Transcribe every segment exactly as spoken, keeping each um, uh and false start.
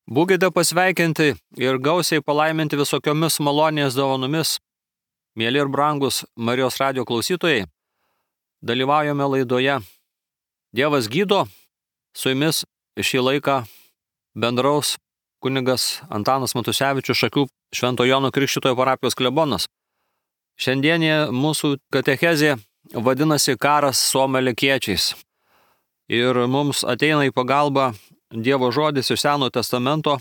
Būkite pasveikinti ir gausiai palaiminti visokiomis malonės dovanomis. Mėly ir brangus Marijos radijo klausytojai, dalyvaujame laidoje Dievas gydo. Su jumis šį laiką bendraus kunigas Antanas Matusevičius, Šakių Švento Jono Krikštytojo parapijos klebonas. Šiandienė mūsų katechezė vadinasi Karas su amalekiečiais. Ir mums ateina į pagalbą Dievo žodis iš Senojo testamento.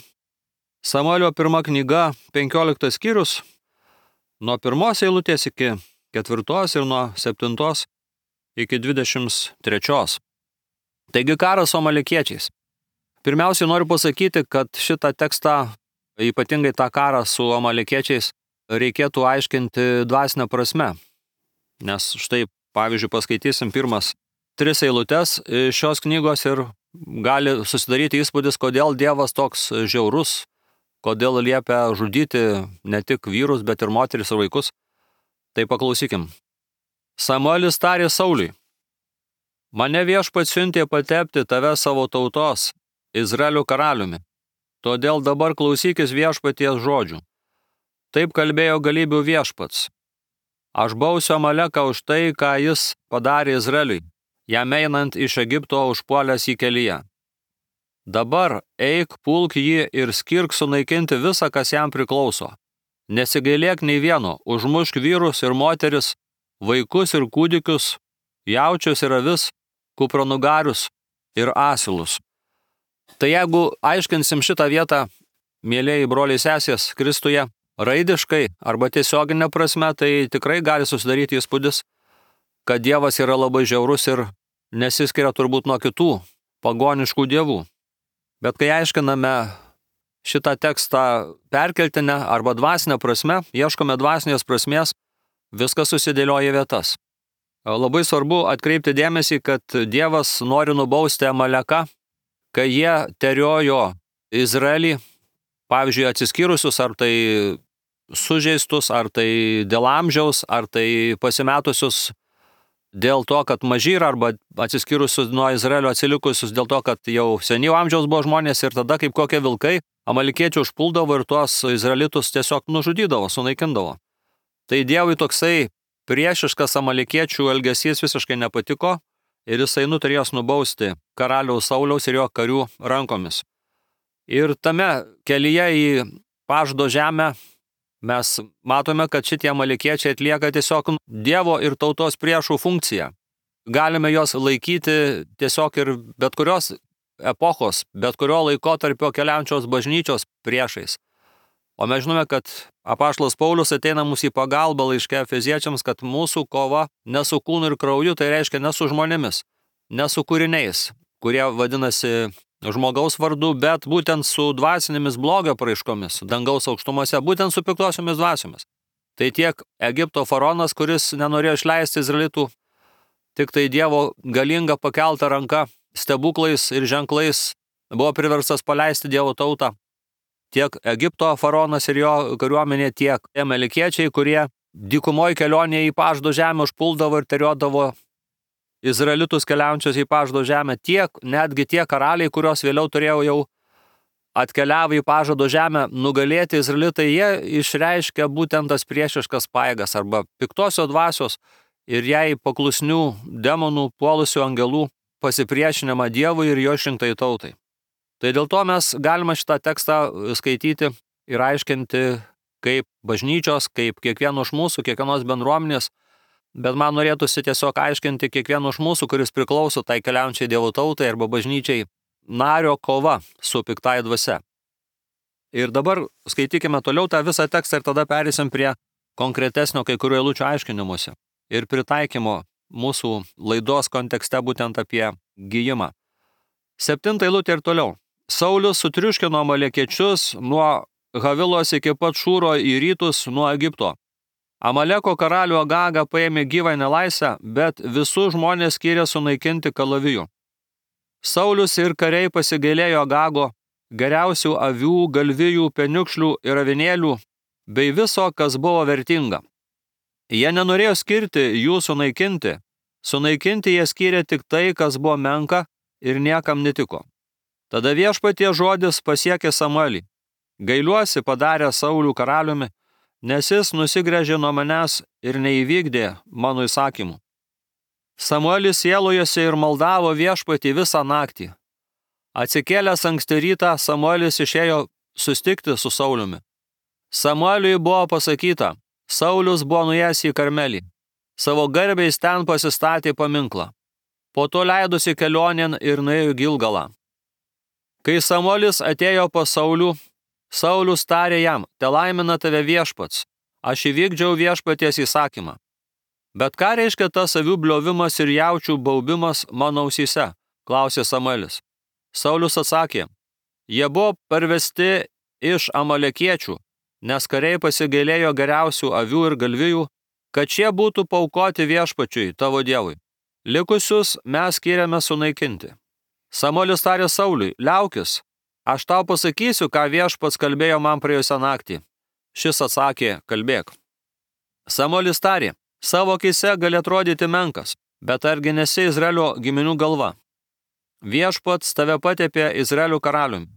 Samuelio pirma knyga, penkioliktas skyrius, nuo pirmos eilutės iki ketvirtos ir nuo septintos iki dvidešimt trečios. Taigi karas su amalekiečiais. Pirmiausiai noriu pasakyti, kad šitą tekstą, ypatingai tą karą su amalekiečiais, reikėtų aiškinti dvasinę prasme. Nes štai, pavyzdžiui, paskaitysim pirmas tris eilutes šios knygos ir gali susidaryti įspūdis, kodėl Dievas toks žiaurus, kodėl liepia žudyti ne tik vyrus, bet ir moteris ir vaikus. Tai paklausykim. Samuelis tarė Sauliui: mane Viešpats siuntė patepti tave savo tautos, Izraelio karaliumi. Todėl dabar klausykis Viešpaties žodžių. Taip kalbėjo galybių Viešpats. Aš bausiu Amaleką už tai, ką jis padarė Izraeliui, jam einant iš Egipto užpuolęs į kelyje. Dabar eik, pulk jį ir skirk sunaikinti visą, kas jam priklauso. Nesigailėk nei vieno, užmušk vyrus ir moteris, vaikus ir kūdikius, jaučius ir avis, kupranugarius ir asilus. Tai jeigu aiškinsim šitą vietą, mėlėjai broliai sesės Kristuje, raidiškai arba tiesioginė prasme, tai tikrai gali susidaryti įspūdis, kad Dievas yra labai žiaurus ir nesiskiria turbūt nuo kitų pagoniškų dievų. Bet kai aiškiname šitą tekstą perkeltinę arba dvasinę prasme, ieškome dvasinės prasmės, viskas susidėlioja vietas. Labai svarbu atkreipti dėmesį, kad Dievas nori nubausti Amaleką, kai jie teriojo Izraelį, pavyzdžiui, atsiskyrusius, ar tai sužeistus, ar tai dėl amžiaus, ar tai pasimetusius dėl to, kad maži yra, arba atsiskyrusius nuo Izraelio atsilikusius dėl to, kad jau senyvo amžiaus buvo žmonės ir tada kaip kokie vilkai amalekiečių užpuldavo ir tuos izraelitus tiesiog nužudydavo, sunaikindavo. Tai Dievui toksai priešiškas amalekiečių elgesys visiškai nepatiko ir jisai nutarė juos nubausti karaliaus Sauliaus ir jo karių rankomis. Ir tame kelyje į pažado žemę mes matome, kad šitie amalekiečiai atlieka tiesiog Dievo ir tautos priešų funkciją. Galime juos laikyti tiesiog ir bet kurios epochos, bet kurio laikotarpio keliaujančios bažnyčios priešais. O mes žinome, kad apaštalas Paulius ateina mūsų į pagalbą laiške Efeziečiams, kad mūsų kova ne su kūnu ir krauju, tai reiškia ne su žmonėmis, ne su kūriniais, kurie vadinasi žmogaus vardu, bet būtent su dvasinėmis blogio praiškomis, dangaus aukštumose, būtent su piktosiomis dvasiomis. Tai tiek Egipto faraonas, kuris nenorėjo išleisti izraelitų, tik tai Dievo galinga pakelta ranka, stebuklais ir ženklais buvo priverstas paleisti Dievo tautą. Tiek Egipto faraonas ir jo kariuomenė, tiek amalekiečiai, kurie dykumoje kelionėje į pažado žemę užpuldavo ir teriodavo izraelitus keliaujančius į pažado žemę, tiek, netgi tie karaliai, kurios vėliau turėjo jau atkeliavę į pažado žemę nugalėti izraelitai, jie išreiškia būtent tas priešiškas pajėgas arba piktosios dvasios ir jai paklusnių demonų puolusių angelų pasipriešinimą Dievui ir jo išrinktai tautai. Tai dėl to mes galime šitą tekstą skaityti ir aiškinti kaip bažnyčios, kaip kiekvieno iš mūsų, kiekvienos bendruomenės, bet man norėtųsi tiesiog aiškinti kiekvieno iš mūsų, kuris priklauso tai keliaujančiai Dievo tautai arba bažnyčiai, nario kova su piktai dvasia. Ir dabar skaitykime toliau tą visą tekstą ir tada perėsim prie konkretesnio kai kurių eilučių aiškinimuose ir pritaikymo mūsų laidos kontekste būtent apie gijimą. Septinta eilutė ir toliau. Saulius sutriuškino amalekiečius nuo Havilos iki pat Šūro į rytus nuo Egipto. Amaleko karalių Agagą paėmė gyvą nelaisvę, bet visus žmonės skyrė sunaikinti kalavijų. Saulius ir kariai pasigailėjo Agago, geriausių avių, galvijų, peniukšlių ir avinėlių, bei viso, kas buvo vertinga. Jie nenorėjo skirti jų sunaikinti, sunaikinti jie skyrė tik tai, kas buvo menka ir niekam netiko. Tada viešpatie žodis pasiekė Samuelį. Gailiuosi padarė Saulų karaliumi, nes jis nusigręžė nuo manęs ir neįvykdė mano įsakymų. Samuelis sielojosi ir maldavo viešpatį visą naktį. Atsikėlęs anksti rytą, Samuelis išėjo sustikti su Sauliumi. Samueliui buvo pasakyta, Saulius buvo nuėjęs į Karmelį. Savo garbiais ten pasistatė paminklą. Po to leidosi kelionėn ir nuėjo į Gilgalą. Kai Samuelis atėjo pas Saulių, Saulius tarė jam, te laimina tave viešpats, aš įvykdžiau viešpaties įsakymą. Bet ką reiškia tas avių bliovimas ir jaučių baubimas mano ausyse, klausė Samuelis. Saulius atsakė, jie buvo parvesti iš amalekiečių, nes kariai pasigailėjo geriausių avių ir galvijų, kad šie būtų paaukoti viešpačiui, tavo dievui. Likusius mes skiriame sunaikinti. Samuelis tarė Sauliui, liaukis, aš tau pasakysiu, ką viešpats kalbėjo man praėjusią naktį. Šis atsakė, kalbėk. Samuelis tarė, savo akyse gali atrodyti menkas, bet argi nesi Izraelio giminių galva. Viešpats tave patepė Izraelio karaliumi.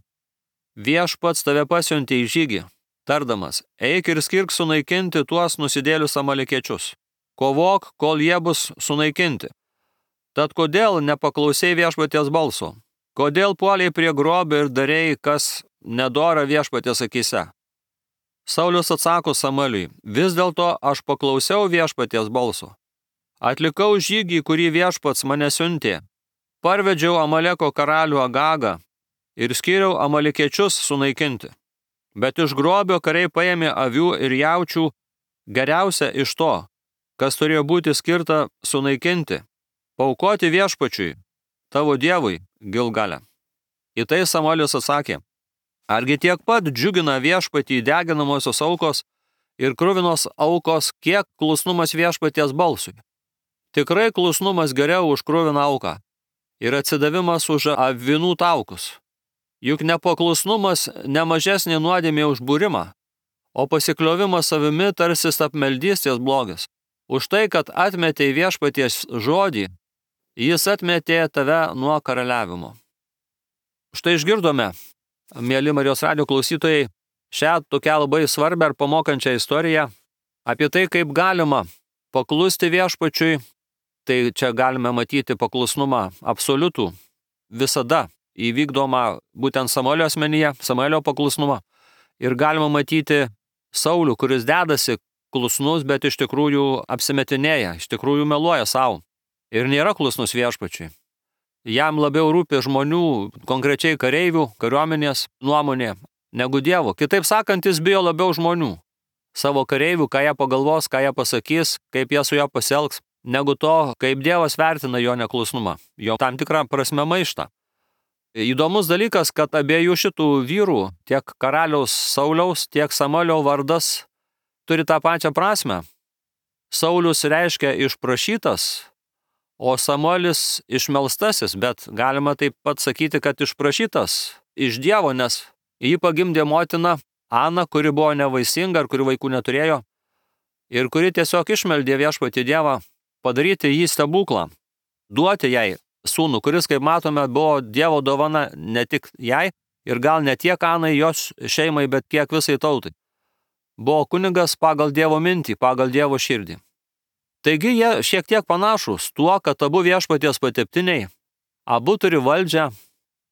Viešpats tave pasiuntė į žygį, tardamas, eik ir skirk sunaikinti tuos nusidėlius amalekiečius. Kovok, kol jie bus sunaikinti. Tad kodėl nepaklausei viešpaties balso? Kodėl puoliai prie grobio ir darei, kas nedora viešpaties akyse? Saulius atsako Samueliui, vis dėlto aš paklausiau viešpaties balso. Atlikau žygį, kurį viešpats mane siuntė. Parvedžiau Amaleko karalių Agagą ir skiriau amalekiečius sunaikinti. Bet iš grobio kariai paėmė avių ir jaučių geriausia iš to, kas turėjo būti skirta sunaikinti, paaukoti viešpačiui, tavo dievui, Gilgale. Į tai Samuelis atsakė, argi tiek pat džiugina viešpatį deginamosios aukos ir kruvinos aukos, kiek klusnumas viešpaties balsui. Tikrai klusnumas geriau už kruviną auką ir atsidavimas už avinų taukus. Juk nepaklusnumas nemažesnė nuodėmė už būrimą, o pasikliovimas savimi tarsi apmeldystės blogis. Už tai, kad atmetei viešpaties žodį, jis atmetė tave nuo karaliavimo. Štai išgirdome, mieli Marijos radijo klausytojai, šią tokią labai svarbią ir pamokančią istoriją apie tai, kaip galima paklusti viešpačiui. Tai čia galime matyti paklusnumą absoliutų, visada įvykdomą būtent Samuelio asmenyje, Samuelio paklusnumą. Ir galima matyti Saulių, kuris dedasi klusnus, bet iš tikrųjų apsimetinėja, iš tikrųjų meluoja savo. Ir nėra klusnus viešpačiui. Jam labiau rūpi žmonių, konkrečiai kareivių, kariuomenės nuomonė, negu Dievo. Kitaip sakant, jis bijo labiau žmonių. Savo kareivių, ką jie pagalvos, ką jie pasakys, kaip jie su juo pasielgs, negu to, kaip Dievas vertina jo neklusnumą, jo tam tikrą prasme maištą. Įdomus dalykas, kad abiejų šitų vyrų, tiek karaliaus Sauliaus, tiek Samuelio vardas turi tą pačią prasme. Saulius reiškia išprašytas, o Samuelis išmelstasis, bet galima taip pat sakyti, kad išprašytas iš Dievo, nes jį pagimdė motina Ana, kuri buvo nevaisinga ir kuri vaikų neturėjo, ir kuri tiesiog išmeldė viešpatį Dievą padaryti jį stebuklą, duoti jai sūnų, kuris, kaip matome, buvo Dievo dovana ne tik jai ir gal ne tiek Anai jos šeimai, bet kiek visai tautai. Buvo kunigas pagal Dievo mintį, pagal Dievo širdį. Taigi jie šiek tiek panašus tuo, kad abu viešpaties pateptiniai, abu turi valdžią,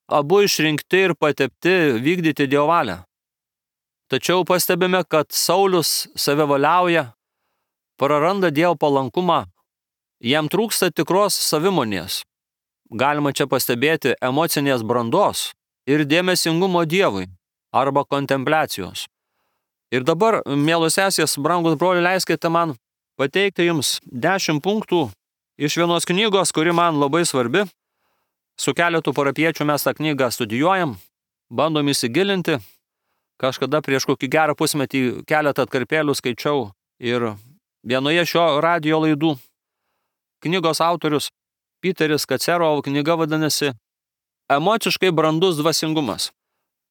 abu išrinkti ir patepti vykdyti Dievo valią. Tačiau pastebime, kad Saulius save valiauja, praranda Dievo palankumą, jam trūksta tikros savimonės. Galima čia pastebėti emocinės brandos ir dėmesingumo Dievui arba kontempliacijos. Ir dabar, mielos sesės, brangus broliai, leiskite man pateikti jums dešimt punktų iš vienos knygos, kuri man labai svarbi. Su keletu parapiečių mes tą knygą studijuojam, bandom įsigilinti. Kažkada prieš kokį gerą pusmetį keletą atkarpėlių skaičiau ir vienoje šio radijo laidų. Knygos autorius Piteris Kacerov, knyga vadinasi Emociškai brandus dvasingumas.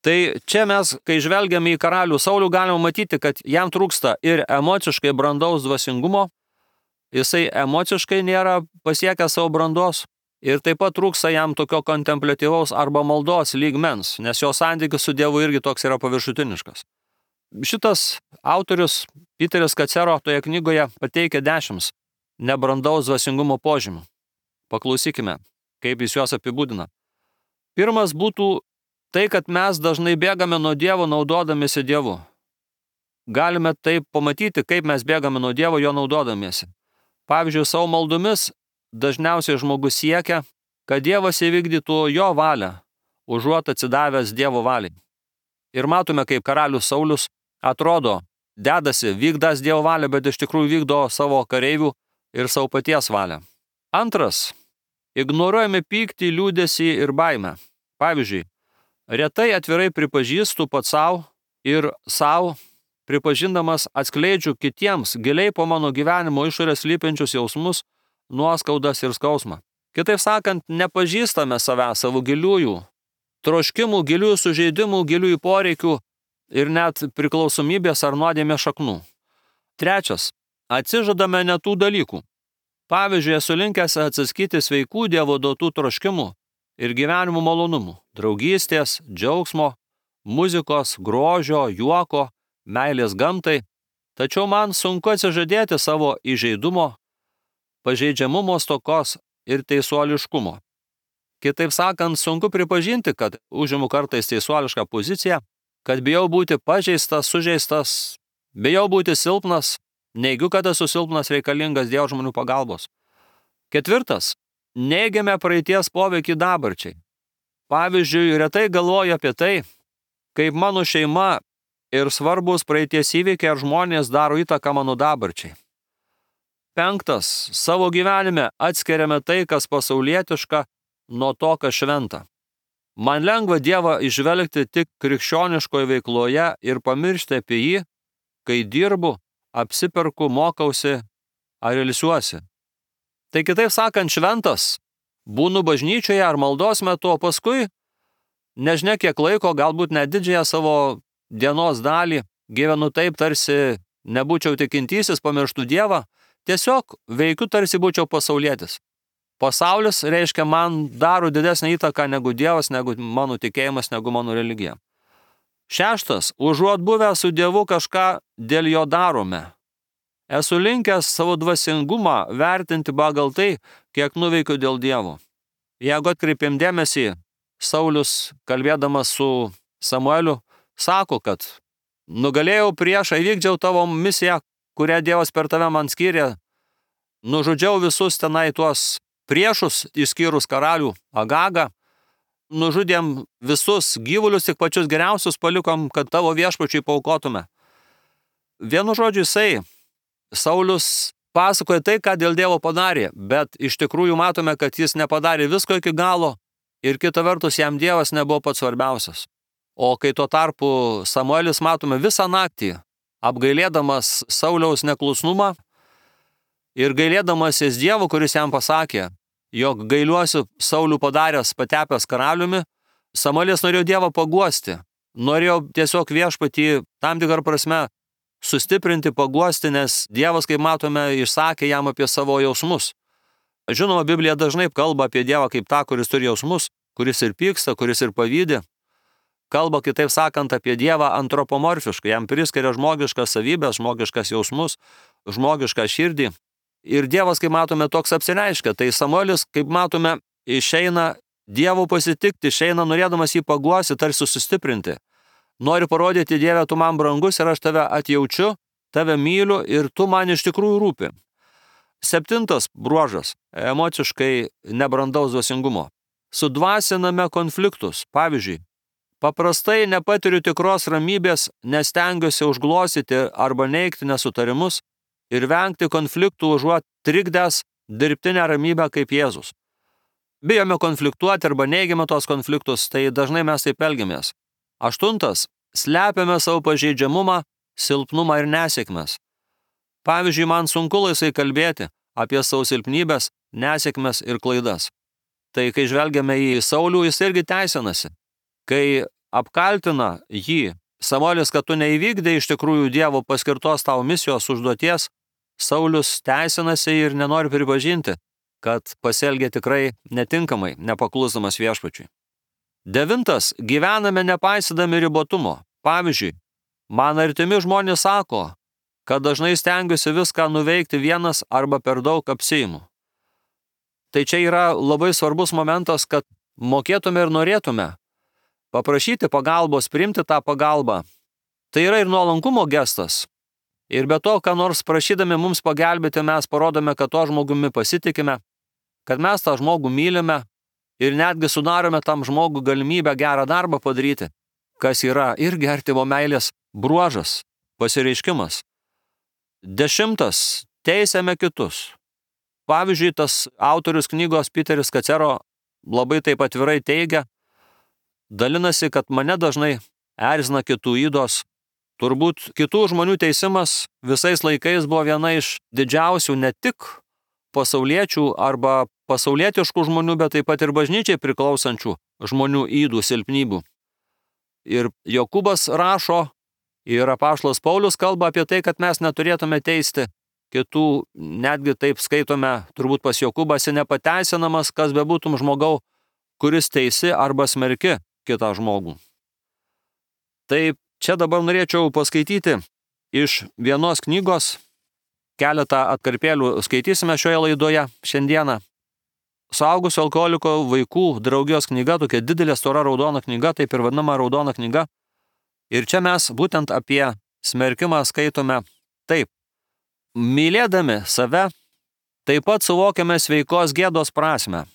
Tai čia mes, kai žvelgiame į karalių Saulių, galime matyti, kad jam trūksta ir emociškai brandaus dvasingumo, jisai emociškai nėra pasiekęs savo brandos, Ir taip pat trūksta jam tokio kontempliatyvaus arba maldos lygmens, nes jo santykis su Dievu irgi toks yra paviršutiniškas. Šitas autorius, Piteris Kacero, toje knygoje pateikia dešimt nebrandaus dvasingumo požymių. Paklausykime, kaip jis juos apibūdina. Pirmas būtų tai, kad mes dažnai bėgame nuo Dievo naudodamiesi Dievu. Galime taip pamatyti, kaip mes bėgame nuo Dievo jo naudodamiesi. Pavyzdžiui, savo maldomis dažniausiai žmogus siekia, kad Dievas įvykdytų jo valią, užuot atsidavęs Dievo valiai. Ir matome, kaip karalius Saulius atrodo, dedasi, vykdas Dievo valią, bet iš tikrųjų vykdo savo kareivių ir savo paties valią. Antras, ignoruojame pyktį, liūdesį ir baimę. Pavyzdžiui, retai atvirai pripažįstu pats savo ir savo, pripažindamas atskleidžiu kitiems giliai po mano gyvenimo išorės slypinčius jausmus, nuoskaudas ir skausmą. Kitaip sakant, nepažįstame savęs, savo giliųjų troškimų, giliųjų sužeidimų, giliųjų poreikių ir net priklausomybės ar nuodėmės šaknų. Trečias, atsižadame ne tų dalykų. Pavyzdžiui, esu linkęs atsiskyti sveikų Dievo duotų troškimų ir gyvenimo malonumų, draugystės, džiaugsmo, muzikos, grožio, juoko, meilės gamtai, tačiau man sunku atsižadėti savo įžeidumo, pažeidžiamumo stokos ir teisuoliškumo. Kitaip sakant, sunku pripažinti, kad užimu kartais teisuolišką poziciją, kad bijau būti pažeistas, sužeistas, bijau būti silpnas, neigiu, kad esu silpnas reikalingas Dievo žmonių pagalbos. Ketvirtas, neigiame praeities poveikį dabarčiai. Pavyzdžiui, retai galvoju apie tai, kaip mano šeima ir svarbus praeities įvykiai ar žmonės daro įtaką mano dabarčiai. Penktas, savo gyvenime atskiriame tai, kas pasaulietiška, nuo to, kas šventa. Man lengva Dievą išvelgti tik krikščioniškoje veikloje ir pamiršti apie jį, kai dirbu, apsiperku, mokausi ar ilsiuosi. Tai kitaip sakant, šventas, būnu bažnyčioje ar maldos metu, o paskui, nežinia kiek laiko, galbūt net didžiąją savo dienos dalį, gyvenu taip, tarsi nebūčiau tikintysis, pamirštų Dievą, tiesiog veikiu, tarsi būčiau pasaulietis. Pasaulis, reiškia, man daro didesnį įtaką negu Dievas, negu mano tikėjimas, negu mano religija. Šeštas, užuot buvę su Dievu kažką dėl jo darome. Esu linkęs savo dvasingumą vertinti pagal tai, kiek nuveikiu dėl Dievo. Jeigu atkreipėm dėmesį, Saulius, kalbėdamas su Samueliu, sako, kad nugalėjau priešą, įvykdžiau tavo misiją, kurią Dievas per tave man skyrė, nužudžiau visus tenai tuos priešus, išskyrus karalių Agagą, nužudėm visus gyvulius, tik pačius geriausius palikom, kad tavo viešpačiui paaukotume. Vienu žodžiu, jisai, Saulius, pasakoja tai, ką dėl Dievo padarė, bet iš tikrųjų matome, kad jis nepadarė visko iki galo ir kita vertus jam Dievas nebuvo pats svarbiausias. O kai tuo tarpu Samuelis, matome, visą naktį apgailėdamas Sauliaus neklusnumą ir gailėdamasis Dievo, kuris jam pasakė, jog gailiuosiu Saulių padaręs patepęs karaliumi, Samuelis norėjo Dievą paguosti, norėjo tiesiog viešpatį tam tikrą prasme sustiprinti, paguosti, nes Dievas, kaip matome, išsakė jam apie savo jausmus. Žinoma, Biblija dažnai kalba apie Dievą kaip tą, kuris turi jausmus, kuris ir pyksta, kuris ir pavydi. Kalba, kitaip sakant, apie Dievą antropomorfiškai, jam priskiria žmogiškas savybės, žmogiškas jausmus, žmogišką širdį. Ir Dievas, kaip matome, toks apsireiškia. Tai Samuelis, kaip matome, išeina Dievo pasitikti, išeina norėdamas jį paguosti, tarsi sustiprinti. Noriu parodyti, Dieve, tu man brangus ir aš tave atjaučiu, tave myliu ir tu man iš tikrųjų rūpi. Septintas bruožas – emociškai nebrandaus dvasingumo. Sudvasiname konfliktus. Pavyzdžiui, paprastai nepatiriu tikros ramybės, nes stengiuosi užglostyti arba neigti nesutarimus ir vengti konfliktų užuot trikdęs dirbtinę ramybę kaip Jėzus. Bijome konfliktuoti arba neigiame tos konfliktus, tai dažnai mes taip elgiamės. Aštuntas, slepiame savo pažeidžiamumą, silpnumą ir nesėkmes. Pavyzdžiui, man sunku laisvai kalbėti apie savo silpnybės, nesėkmes ir klaidas. Tai kai žvelgiame į Saulių, jis irgi teisinasi. Kai apkaltina jį Samuelis, kad tu neįvykdai iš tikrųjų Dievo paskirtos tavo misijos užduoties, Saulius teisinasi ir nenori pripažinti, kad pasielgė tikrai netinkamai, nepaklusdamas viešpačiui. Devintas, gyvename nepaisydami ribotumo. Pavyzdžiui, man artimi žmonės sako, kad dažnai stengiuosi viską nuveikti vienas arba per daug apsiimu. Tai čia yra labai svarbus momentas, kad mokėtume ir norėtume paprašyti pagalbos, priimti tą pagalbą. Tai yra ir nuolankumo gestas. Ir be to, ką nors prašydami mums pagelbėti, mes parodome, kad to žmogumi pasitikime, kad mes tą žmogų mylime ir netgi sudarome tam žmogų galimybę gerą darbą padaryti, kas yra irgi artimo meilės bruožas, pasireiškimas. Dešimtas, teisiame kitus. Pavyzdžiui, tas autorius knygos Piteris Kacero labai taip atvirai teigia, dalinasi, kad mane dažnai erzina kitų ydos. Turbūt kitų žmonių teisimas visais laikais buvo viena iš didžiausių ne tik pasauliečių arba pasaulietiškų žmonių, bet taip pat ir bažnyčiai priklausančių žmonių ydų, silpnybių. Ir Jokūbas rašo, ir apaštalas Paulius kalba apie tai, kad mes neturėtume teisti kitų, netgi taip skaitome, turbūt pas Jokūbą, esi nepateisinamas, kas bebūtum žmogau, kuris teisi arba smerki kitą žmogų. Taip, čia dabar norėčiau paskaityti iš vienos knygos, keletą atkarpėlių skaitysime šioje laidoje šiandieną. Suaugusio alkoholiko vaikų draugijos knyga, tokia didelė stora raudona knyga, taip ir vadinama raudona knyga. Ir čia mes būtent apie smerkimą skaitome taip. Mylėdami save, taip pat suvokiame sveikos gėdos prasme.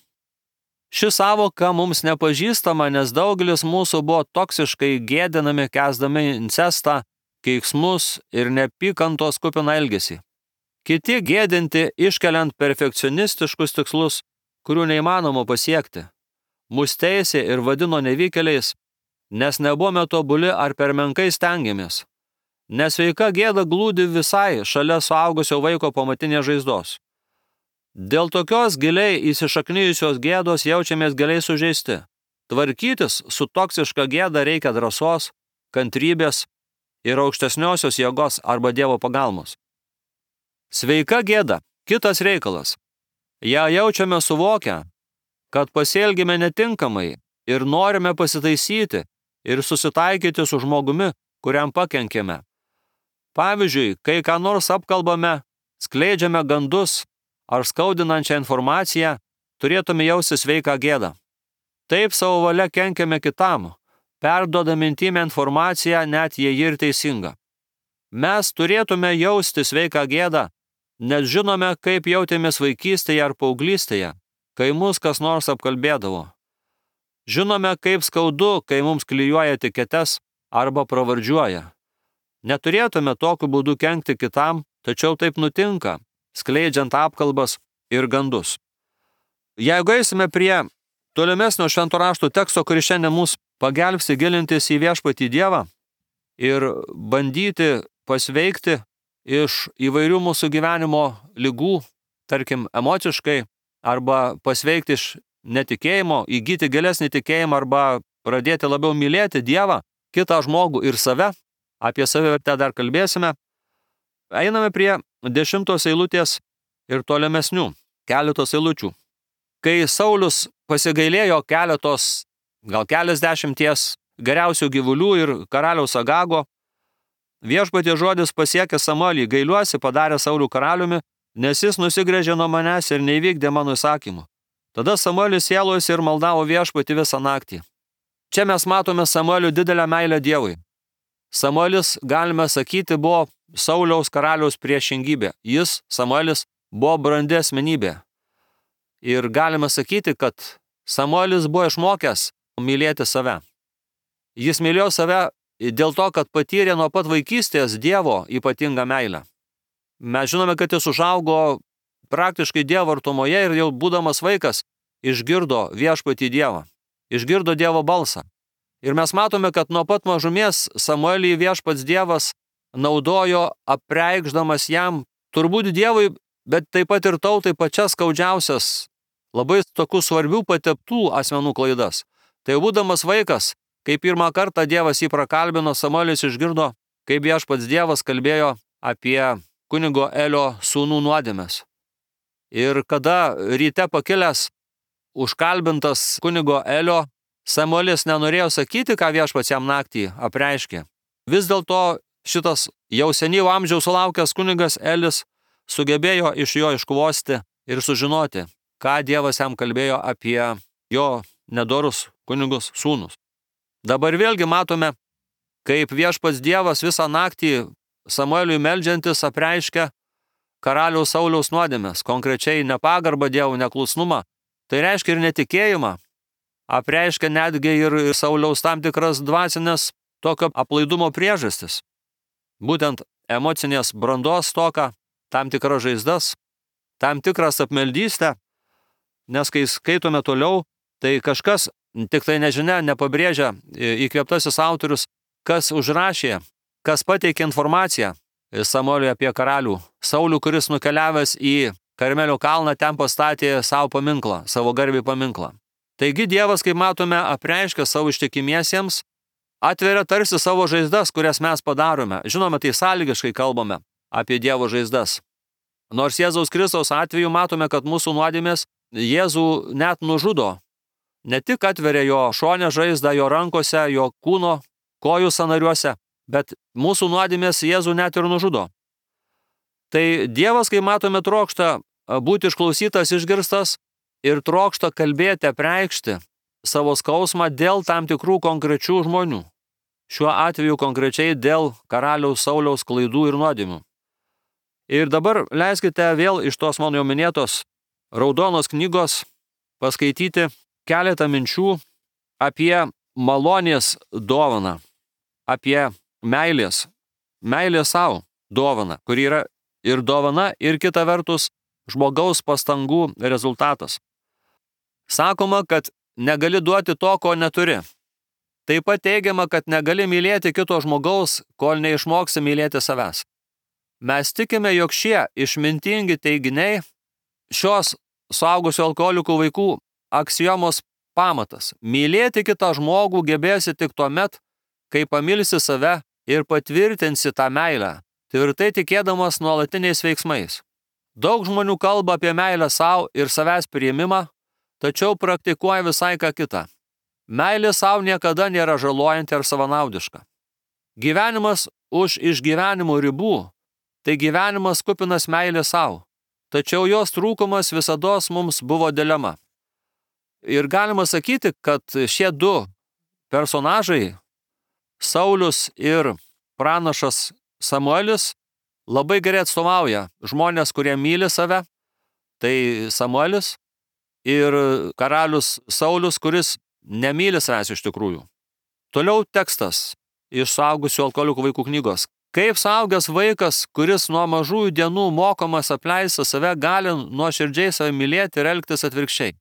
Ši savoka mums nepažįstama, nes daugelis mūsų buvo toksiškai gėdinami, kęsdami incestą, keiksmus ir neapykantos kupiną elgesį. Kiti gėdinti, iškeliant perfekcionistiškus tikslus, kurių neįmanoma pasiekti. Mus teisė ir vadino nevykėliais, nes nebuvome tobuli ar per menkai stengiamės. Nesveika gėda glūdi visai šalia suaugusio vaiko pamatinės žaizdos. Dėl tokios giliai įsišaknijusios gėdos jaučiamės giliai sužeisti. Tvarkytis su toksiška gėda reikia drąsos, kantrybės ir aukštesniosios jėgos arba Dievo pagalbos. Sveika gėda – kitas reikalas. Ja jaučiame suvokę, kad pasielgime netinkamai ir norime pasitaisyti ir susitaikyti su žmogumi, kuriam pakenkėme. Pavyzdžiui, kai ką nors apkalbame, skleidžiame gandus ar skaudinančią informaciją, turėtume jausti sveiką gėdą. Taip savo valia kenkiame kitam, perduodami intymę informaciją, net jei ji ir teisinga. Mes turėtume jausti sveiką gėdą, nes žinome, kaip jautėmės vaikystėje ar paauglystėje, kai mus kas nors apkalbėdavo. Žinome, kaip skaudu, kai mums klijuoja etiketes arba pravardžiuoja. Neturėtume tokiu būdu kenkti kitam, tačiau taip nutinka, skleidžiant apkalbas ir gandus. Jeigu eisime prie tolimesnio švento rašto teksto, kuris šiandien mus pagelbsti gilintis į viešpatį Dievą ir bandyti pasveikti iš įvairių mūsų gyvenimo ligų, tarkim emociškai, arba pasveikti iš netikėjimo, įgyti gilesnį tikėjimą arba pradėti labiau mylėti Dievą, kitą žmogų ir save, apie savivertę dar kalbėsime, einame prie dešimtos eilutės ir tolimesnių keletos eilučių. Kai Saulius pasigailėjo keletos, gal keliasdešimties geriausių gyvulių ir karaliaus Agago, viešpaties žodis pasiekė Samuelį, gailiuosi padarė Saulių karaliumi, nes jis nusigręžė nuo manęs ir neįvykdė mano įsakymų. Tada Samuelis sielojosi ir maldavo viešpatį visą naktį. Čia mes matome Samuelio didelę meilę Dievui. Samuelis, galime sakyti, buvo Sauliaus karaliaus priešingybė. Jis, Samuelis, buvo brandi asmenybė. Ir galime sakyti, kad Samuelis buvo išmokęs mylėti save. Jis mylėjo save dėl to, kad patyrė nuo pat vaikystės Dievo ypatingą meilę. Mes žinome, kad jis užaugo praktiškai Dievo artumoje ir jau būdamas vaikas išgirdo viešpatį Dievą, išgirdo Dievo balsą. Ir mes matome, kad nuo pat mažumės Samuelį viešpats Dievas naudojo apreikšdamas jam turbūt Dievui, bet taip pat ir tautai pačias skaudžiausias, labai tokių svarbių pateptų asmenų klaidas. Tai būdamas vaikas, kai pirmą kartą Dievas jį prakalbino, Samuelis išgirdo, kaip viešpats Dievas kalbėjo apie kunigo Elio sūnų nuodėmes. Ir kada ryte pakilęs, užkalbintas kunigo Elio, Samuelis nenorėjo sakyti, ką viešpats jam naktį apreiškė. Vis dėlto šitas jau senyvo amžiaus sulaukęs kunigas Elis sugebėjo iš jo iškvosti ir sužinoti, ką Dievas jam kalbėjo apie jo nedorus kunigus sūnus. Dabar vėlgi matome, kaip viešpats Dievas visą naktį Samueliui meldžiantis apreiškia karaliaus Sauliaus nuodėmes, konkrečiai nepagarbą Dievų, neklusnumą. Tai reiškia ir netikėjimą, apreiškia netgi ir Sauliaus tam tikras dvasinės tokio aplaidumo priežastis. Būtent emocinės brandos stoką, tam tikras žaizdas, tam tikras apmeldystę, nes kai skaitome toliau, tai kažkas, tik tai nežinia, nepabrėžia įkvėptasis autorius, kas užrašė, kas pateikė informaciją Samueliui apie karalių Saulių, kuris nukeliavęs į Karmelio kalną ten pastatė savo paminklą, savo garbei paminklą. Taigi Dievas, kaip matome, apreiškia savo ištikimiesiems, atveria tarsi savo žaizdas, kurias mes padarome. Žinome, tai sąlygiškai kalbame apie Dievo žaizdas. Nors Jėzaus Kristaus atveju matome, kad mūsų nuodėmės Jėzų net nužudo. Ne tik atveria jo šonę žaizdą, jo rankose, jo kūno, kojų sąnariuose, bet mūsų nuodėmės Jėzų net ir nužudo. Tai Dievas, kaip matome, trokšta būti išklausytas, išgirstas ir trokšta kalbėti, apreikšti savo skausmą dėl tam tikrų konkrečių žmonių. Šiuo atveju konkrečiai dėl karaliaus Sauliaus klaidų ir nuodėmių. Ir dabar leiskite vėl iš tos mano jau minėtos raudonos knygos paskaityti keletą minčių apie malonės dovaną, apie meilės, meilės savo dovaną, kuri yra ir dovana, ir kita vertus žmogaus pastangų rezultatas. Sakoma, kad negali duoti to, ko neturi. Taip pat teigiama, kad negali mylėti kito žmogaus, kol neišmoksi mylėti savęs. Mes tikime, jog šie išmintingi teiginiai šios suaugusių alkoholikų vaikų aksiomos pamatas. Mylėti kitą žmogų gebėsi tik tuomet, kai pamilsi save ir patvirtinsi tą meilę, tvirtai tikėdamas nuolatiniais veiksmais. Daug žmonių kalba apie meilę savo ir savęs priėmimą, tačiau praktikuoja visai ką kitą. Meilė savo niekada nėra žalojanti ar savanaudiška. Gyvenimas už išgyvenimo ribų, tai gyvenimas kupinas meilė savo, tačiau jos trūkumas visados mums buvo dilema. Ir galima sakyti, kad šie du personažai, Saulius ir pranašas Samuelis, labai gerai atstovauja žmonės, kurie myli save, tai Samuelis, ir karalius Saulius, kuris nemyli savęs iš tikrųjų. Toliau tekstas iš suaugusių alkoholikų vaikų knygos. Kaip suaugęs vaikas, kuris nuo mažųjų dienų mokomas apleisti save, gali nuoširdžiai save mylėti ir elgtis atvirkščiai?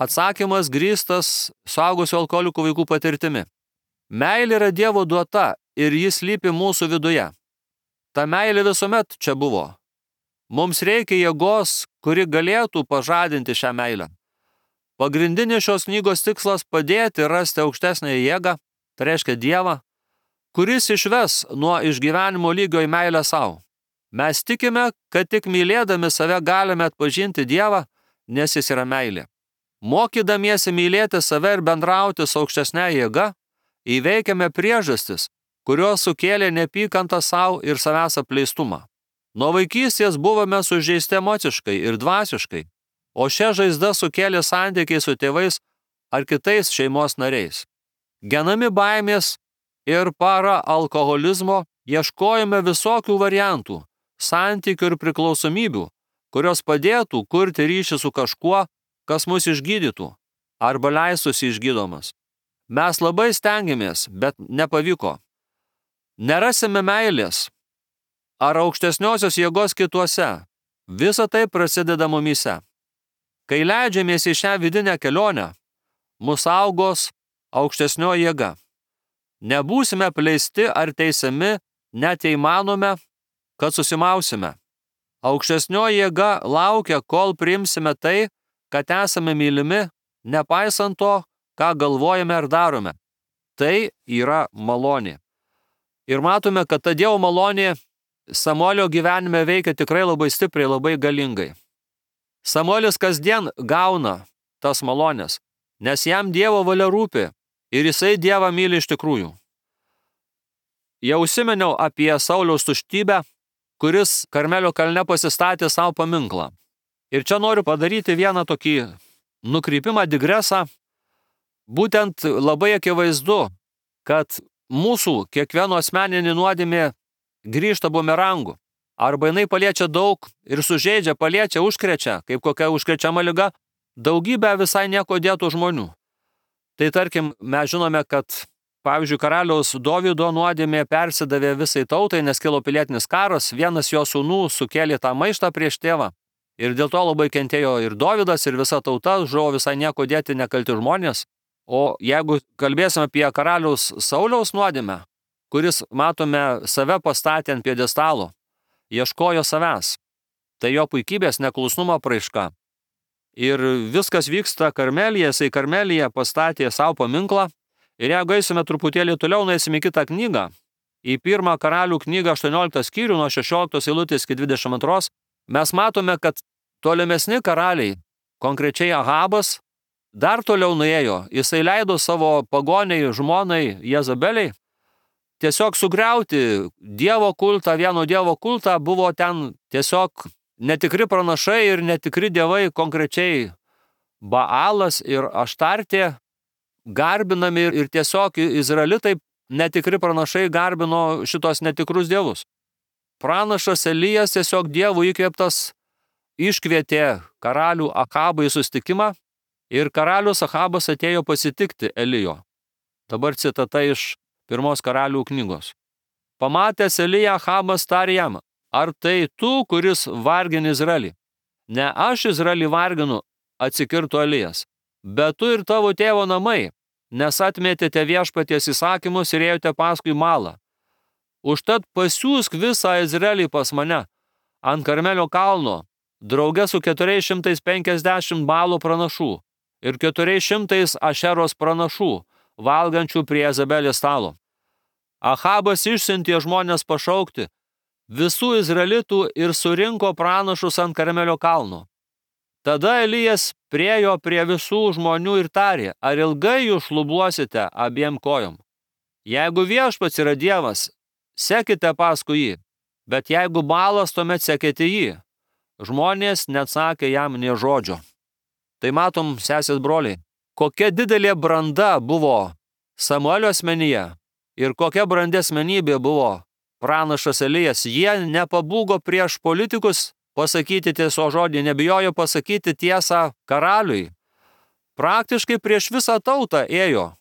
Atsakymas grįstas suaugusių alkoholikų vaikų patirtimi. Meilė yra Dievo duota ir jis slypi mūsų viduje. Ta meilė visuomet čia buvo. Mums reikia jėgos, kuri galėtų pažadinti šią meilę. Pagrindinis šios knygos tikslas padėti rasti aukštesnę jėgą, tai reiškia Dievą, kuris išves nuo išgyvenimo lygio į meilę savo. Mes tikime, kad tik mylėdami save galime atpažinti Dievą, nes jis yra meilė. Mokydamiesi mylėti save ir bendrauti su aukštesne jėga, įveikiame priežastis, kurios sukėlė neapykantą savo ir savęs apleistumą. Nuo vaikystės buvome sužeisti emociškai ir dvasiškai, o šią žaizdą sukėlė santykiai su tėvais ar kitais šeimos nariais. Genami baimės ir para alkoholizmo ieškojame visokių variantų, santykių ir priklausomybių, kurios padėtų kurti ryšį su kažkuo, kas mus išgydytų arba leistųsi išgydomas. Mes labai stengiamės, bet nepavyko. Nerasime meilės ar aukštesniosios jėgos kituose. Visa tai prasideda mumyse. Kai leidžiamės į šią vidinę kelionę, mus saugos aukštesnio jėga. Nebūsime apleisti ar teisiami, net jei manome, kad susimausime. Aukštesnio jėga laukia, kol priimsime tai, kad esame mylimi, nepaisant to, ką galvojame ar darome. Tai yra malonė. Ir matome, kad ta Dievo malonė Samuelio gyvenime veikia tikrai labai stipriai, labai galingai. Samuelis kasdien gauna tas malonės, nes jam Dievo valia rūpi ir jisai Dievą myli iš tikrųjų. Jau užsimeniau apie Sauliaus tuštybę, kuris Karmelio kalne pasistatė savo paminklą. Ir čia noriu padaryti vieną tokį nukrypimą, digresą. Būtent labai akivaizdu, kad mūsų kiekvieno asmeninė nuodėmė grįžta bumerangu. Arba jinai paliečia daug ir sužeidžia, paliečia, užkrečia, kaip kokia užkrečiama liga, daugybę visai nieko dėtų žmonių. Tai tarkim, mes žinome, kad pavyzdžiui, karaliaus Dovydo nuodėmė persidavė visai tautai, nes kilo pilietinis karas, vienas jo sūnų sukėlė tą maištą prieš tėvą. Ir dėl to labai kentėjo ir Dovydas, ir visa tauta, žuvo visai nieko dėti nekalti žmonės. O jeigu kalbėsime apie karaliaus Sauliaus nuodėmę, kuris, matome, save pastatė ant pjedestalo, ieškojo savęs, tai jo puikybės neklusnumo apraiška. Ir viskas vyksta Karmelyje, jisai Karmelyje pastatė savo paminklą. Ir jeigu eisime truputėlį toliau, nueisime į kitą knygą, į pirmą karalių knygą aštuonioliktą skyrių nuo šešioliktos eilutės iki dvidešimt antros, mes matome, kad tolimesni karaliai, konkrečiai Ahabas, dar toliau nuėjo. Jisai leido savo pagoniai, žmonai Jezabeliai tiesiog sugriauti Dievo kultą, vieno Dievo kultą, buvo ten tiesiog netikri pranašai ir netikri dievai, konkrečiai Baalas ir Aštartė, garbinami ir tiesiog izraelitai netikri pranašai garbino šitos netikrus dievus. Pranašas Elijas tiesiog Dievų įkvėptas iškvietė karalių Ahabą į susitikimą ir karalius Ahabas atėjo pasitikti Elijo. Dabar citata iš pirmos karalių knygos. Pamatęs Eliją, Ahabas tarė jam, ar tai tu, kuris vargini Izraelį? Ne aš Izraelį varginu, atsikirto Elijas, bet tu ir tavo tėvo namai, nes atmetėte viešpaties įsakymus ir ėjote paskui malą. Užtat pasiųsk visą Izraelį pas mane ant Karmelio kalno, drauge su keturiais šimtais penkiasdešimt Baalo pranašų ir keturiais šimtais Ašeros pranašų, valgančių prie Jezabelės stalo. Ahabas išsiuntė žmonės pašaukti visų izraelitų ir surinko pranašus ant Karmelio kalno. Tada Elijas priėjo prie visų žmonių ir tarė, ar ilgai jūs šlubuosite abiem kojom? Jeigu viešpats yra Dievas, sekite paskui jį, bet jeigu Baalas, tuomet sekite jį. Žmonės neatsakė jam nė žodžio. Tai matom, sesės broliai, kokia didelė branda buvo Samuelio asmenyje ir kokia brandi asmenybė buvo pranašas Elijas. Jie nepabūgo prieš politikus pasakyti tieso žodį, nebijojo pasakyti tiesą karaliui. Praktiškai prieš visą tautą ėjo.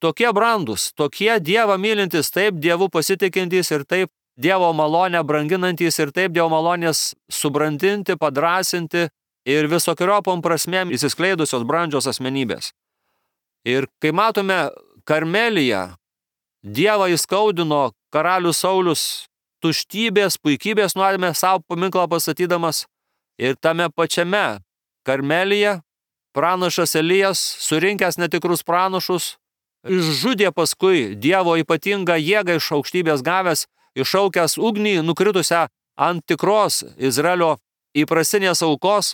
Tokie brandus, tokie Dievą mylintys, taip Dievu pasitikintys ir taip Dievo malonę branginantys ir taip Dievo malonės subrandinti, padrasinti ir visokiopom prasmėm įsiskleidusios brandžios asmenybės. Ir kai matome Karmelyje, Dievą įskaudino karalius Saulius tuštybės, puikybės nuodėmė savo paminklą pastatydamas, ir tame pačiame Karmelyje pranašas Elijas, surinkęs netikrus pranašus, išžudė paskui Dievo ypatingą jėgą iš aukštybės gavęs, iššaukęs ugnį nukritusią ant tikros Izraelio įprastinės aukos,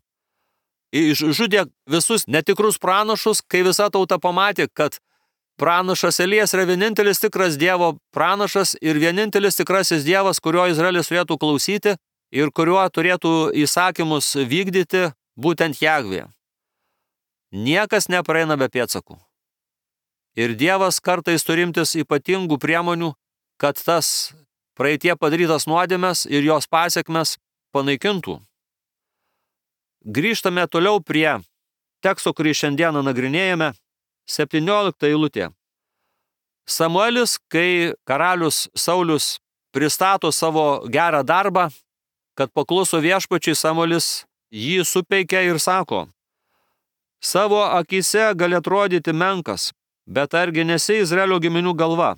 išžudė visus netikrus pranašus, kai visa tauta pamatė, kad pranašas Elijas yra vienintelis tikras Dievo pranašas ir vienintelis tikrasis Dievas, kurio Izraelis turėtų klausyti ir kuriuo turėtų įsakymus vykdyti, būtent Jahvė. Niekas nepraeina be pėdsakų. Ir Dievas kartais turimtis ypatingų priemonių, kad tas praeitie padarytas nuodėmes ir jos pasekmes panaikintų. Grįžtame toliau prie teksto, kurį šiandieną nagrinėjame, septyniolikta eilutė. Samuelis, kai karalius Saulius pristato savo gerą darbą, kad pakluso viešpačiui, Samuelis jį supeikia ir sako, savo akyse gali atrodyti menkas, bet argi nesi Izraelio giminių galva?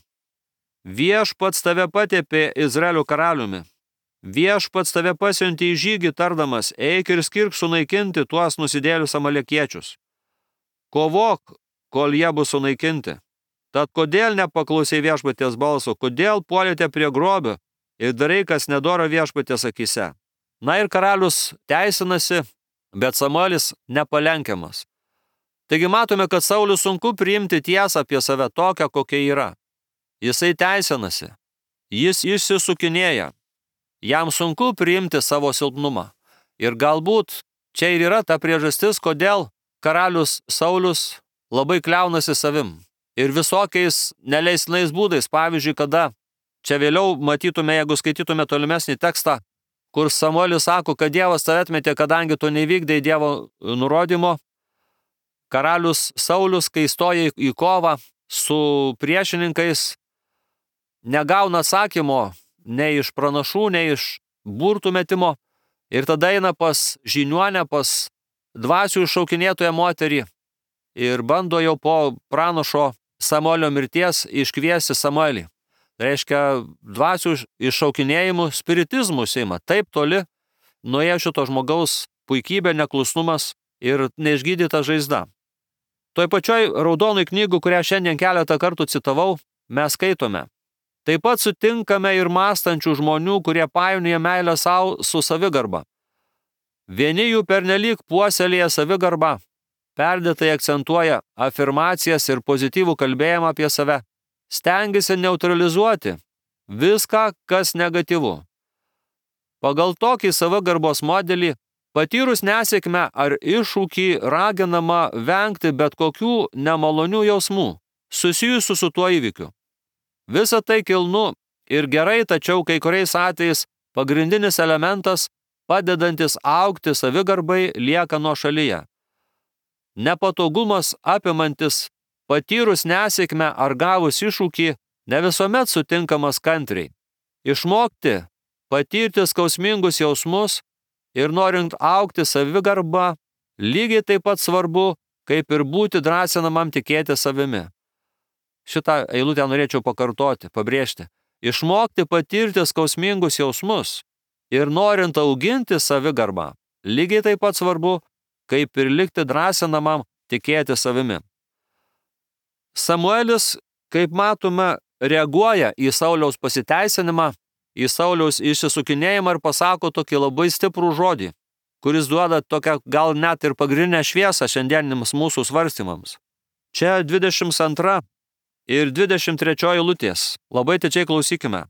Viešpats tave patepė Izraelio karaliumi. Viešpats tave pasiuntė į žygį tardamas, eik ir skirk sunaikinti tuos nusidėlius amalekiečius. Kovok, kol jie bus sunaikinti. Tad kodėl nepaklausai viešpaties balso, kodėl puolėte prie grobio ir darai, kas nedora viešpaties akyse? Na ir karalius teisinasi bet Samuelis nepalenkiamas. Taigi matome, kad Sauliui sunku priimti tiesą apie save tokią, kokia yra. Jisai teisinasi, jis išsisukinėja, jam sunku priimti savo silpnumą. Ir galbūt čia ir yra ta priežastis, kodėl karalius Saulius labai kliaunasi savim. Ir visokiais neleistinais būdais, pavyzdžiui, kada čia vėliau matytume, jeigu skaitytume tolimesnį tekstą, kur Samuelis sako, kad Dievas tave atmetė, kadangi tu nevykdai Dievo nurodymo, karalius Saulius, kai stoja į kovą su priešininkais, negauna atsakymo nei iš pranašų, nei iš burtų metimo, ir tada eina pas žiniuonę, pas dvasių iššaukinėtoją moterį ir bando jau po pranašo Samuelio mirties iškviesti Samuelį. Tai reiškia, dvasių iššaukinėjimų spiritizmų seima. Taip toli nuėjo šito žmogaus puikybė, neklusnumas ir neišgydyta žaizda. Toj pačioj raudonoj knygų, kurią šiandien keletą kartų citavau, mes skaitome. Taip pat sutinkame ir mąstančių žmonių, kurie painioja meilę savo su savigarba. Vieni jų pernelyg puoselėja savigarbą, perdėtai akcentuoja afirmacijas ir pozityvų kalbėjimą apie save, stengiasi neutralizuoti viską, kas negatyvu. Pagal tokį savigarbos modelį patyrus nesėkmę ar iššūkį raginama vengti bet kokių nemalonių jausmų susijusių su tuo įvykiu. Visa tai kilnu ir gerai, tačiau kai kuriais atvejais pagrindinis elementas, padedantis augti savigarbai, lieka nuošalyje. Nepatogumas apimantis patyrus nesėkmę ar gavus iššūkį ne visuomet sutinkamas kantriai. Išmokti, patirti skausmingus jausmus ir norint augti savigarbą, lygiai taip pat svarbu, kaip ir būti drąsinamam tikėti savimi. Šitą eilutę norėčiau pakartoti, pabrėžti. Išmokti patirti skausmingus jausmus ir norint auginti savigarbą, lygiai taip pat svarbu, kaip ir likti drąsinamam tikėti savimi. Samuelis, kaip matome, reaguoja į Sauliaus pasiteisinimą, į Sauliaus išsisukinėjimą ir pasako tokį labai stiprų žodį, kuris duoda tokią gal net ir pagrindinę šviesą šiandieniniams mūsų svarstymams. Čia dvidešimt antra ir dvidešimt trečioji eilutės. Labai atidžiai klausykime.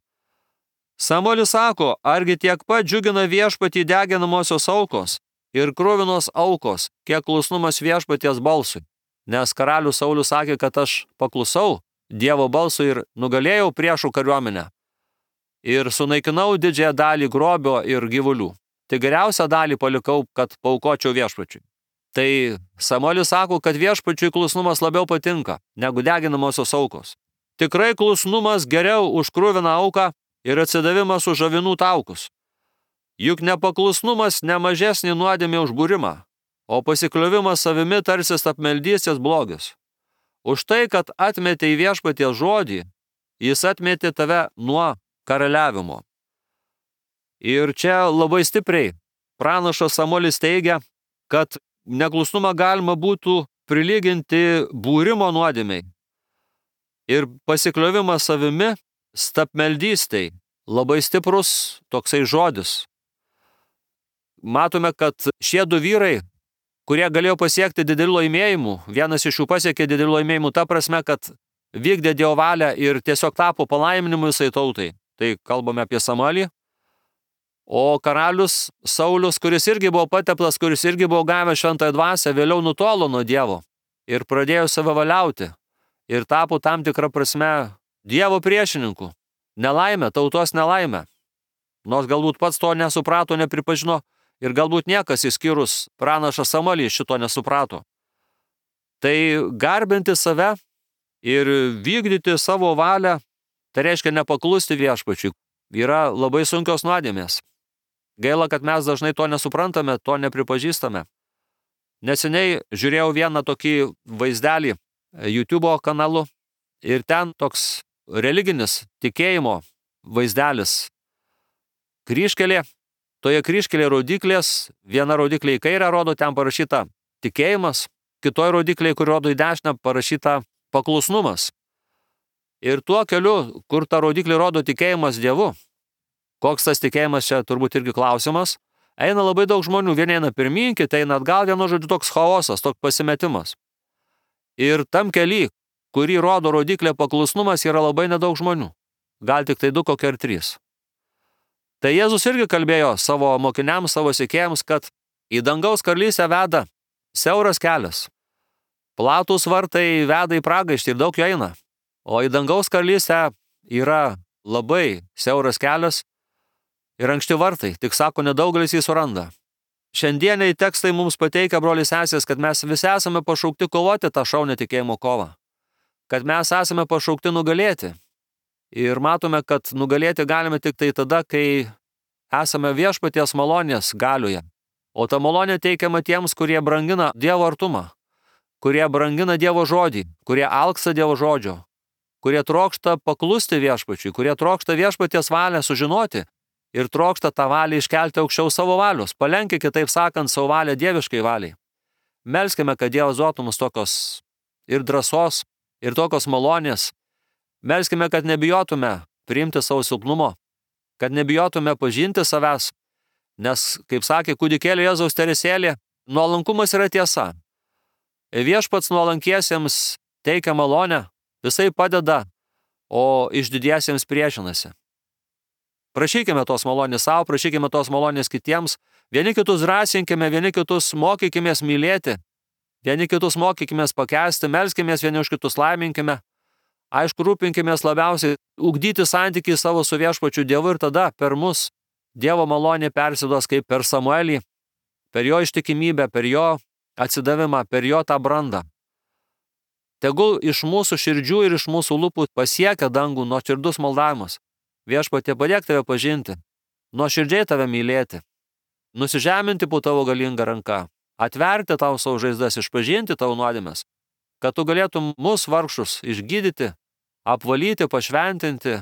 Samuelis sako, argi tiek pat džiugina viešpatį deginamosios aukos ir kruvinos aukos, kiek klusnumas viešpaties balsui. Nes karalius Saulius sakė, kad aš paklusau Dievo balsui ir nugalėjau priešų kariuomenę. Ir sunaikinau didžiąją dalį grobio ir gyvulių. Tai geriausią dalį palikau, kad paaukočiau viešpačiui. Tai Samuelis sako, kad viešpačiui klusnumas labiau patinka negu deginamosios aukos. Tikrai klusnumas geriau už kruviną auką ir atsidavimas už avinų taukus. Juk nepaklusnumas ne mažesnį nuodėmė už būrimą, o pasikliovimas savimi tarsi apmeldystės blogis. Už tai, kad atmetė į viešpaties žodį, jis atmetė tave nuo karaliavimo. Ir čia labai stipriai pranašas Samuelis teigia, kad neklusnumą galima būtų prilyginti būrimo nuodėmei. Ir pasikliovimas savimi stapmeldystei labai stiprus toksai žodis. Matome, kad šie du vyrai, kurie galėjo pasiekti didelių laimėjimų, vienas iš jų pasiekė didelių laimėjimų ta prasme, kad vykdė Dievo valią ir tiesiog tapo palaiminimu visai tautai. Tai kalbame apie Samuelį. O karalius Saulius, kuris irgi buvo pateptas, kuris irgi buvo gavęs šventąją dvasią, vėliau nutolo nuo Dievo ir pradėjo savavaliauti ir tapo tam tikrą prasme Dievo priešininku. Nelaimė, tautos nelaimė. Nors galbūt pats to nesuprato, nepripažino ir galbūt niekas išskyrus pranašą Samuelį šito nesuprato. Tai garbinti save ir vykdyti savo valią, tai reiškia nepaklusti viešpačiui, yra labai sunkios nuodėmės. Gaila, kad mes dažnai to nesuprantame, to nepripažįstame. Neseniai žiūrėjau vieną tokį vaizdelį YouTube kanalu ir ten toks religinis tikėjimo vaizdelis. Kryžkelė, toje kryžkelė rodiklės, viena rodiklė į kairę rodo, ten parašyta tikėjimas, kitoje rodiklėje, kur rodo į dešinę, parašyta paklusnumas. Ir tuo keliu, kur ta rodiklė rodo tikėjimas Dievu, koks tas tikėjimas čia turbūt irgi klausimas, Eina labai daug žmonių, vieni eina pirmyn, kiti eina atgal, vienu žodžiu toks chaosas, toks pasimetimas. Ir tam kely, kurį rodo rodiklė paklusnumas, yra labai nedaug žmonių. Gal tik tai du, kokie ir trys. Tai Jėzus irgi kalbėjo savo mokiniams, savo sekėjams, kad į dangaus karalystę veda siauras kelias. Platūs vartai veda į pragaištį ir daug jo eina. O į dangaus karalystę yra labai siauras kelias ir ankšti vartai, tik sako, nedaugelis jį suranda. Šiandieniai tekstai mums pateikia, broliai sesės, kad mes visi esame pašaukti kovoti tą šaunę tikėjimo kovą. Kad mes esame pašaukti nugalėti. Ir matome, kad nugalėti galime tik tai tada, kai esame viešpaties malonės galioje. O ta malonė teikiama tiems, kurie brangina Dievo artumą, kurie brangina Dievo žodį, kurie alksta Dievo žodžio, kurie trokšta paklusti viešpačiui, kurie trokšta viešpaties valią sužinoti ir trokšta tą valią iškelti aukščiau savo valios, palenkia, kitaip sakant, savo valią dieviškai valiai. Melskime, kad Dievas duotų mums tokios ir drąsos, ir tokios malonės. Melskime, kad nebijotume priimti savo silpnumo, kad nebijotume pažinti savęs, nes, kaip sakė kūdikėlio Jėzaus teresėlė, nuolankumas yra tiesa. Viešpats nuolankiesiems teikia malonę, visai padeda, o išdidiesiems priešinasi. Prašykime tos malonės savo, prašykime tos malonės kitiems, vieni kitus drąsinkime, vieni kitus mokykimės mylėti, vieni kitus mokykimės pakęsti, melskimės vieni už kitus laiminkime. Aišku, rūpinkimės labiausiai ugdyti santykį savo su viešpačiu Dievu ir tada per mus Dievo malonė persiduos kaip per Samuelį, per jo ištikimybę, per jo atsidavimą, per jo tą brandą. Tegul iš mūsų širdžių ir iš mūsų lūpų pasiekia dangų nuoširdus maldavimas. Viešpatie, padėk tave pažinti, nuoširdžiai tave mylėti, nusižeminti po tavo galingą ranką, atverti tau savo žaizdas, išpažinti tavo nuodėmes, kad tu galėtum mus vargšus išgydyti, apvalyti, pašventinti,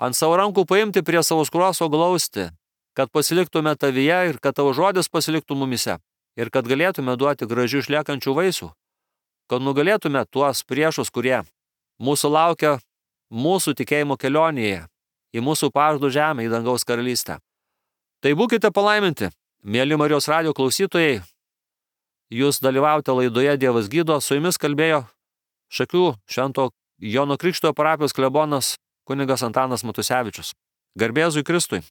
ant savo rankų paimti prie savo skruoso glausti, kad pasiliktume tavyje ir kad tavo žodis pasiliktų mumise ir kad galėtume duoti gražių išliekančių vaisių, kad nugalėtume tuos priešus, kurie mūsų laukia mūsų tikėjimo kelionėje, į mūsų pažadų žemę, į dangaus karalystę. Tai būkite palaiminti, mieli Marijos radijo klausytojai, jūs dalyvaujate laidoje Dievas gydo, su jumis kalbėjo Šakių Švento Jono Krikštytojo parapijos klebonas kunigas Antanas Matusevičius. Garbė Jėzui Kristui.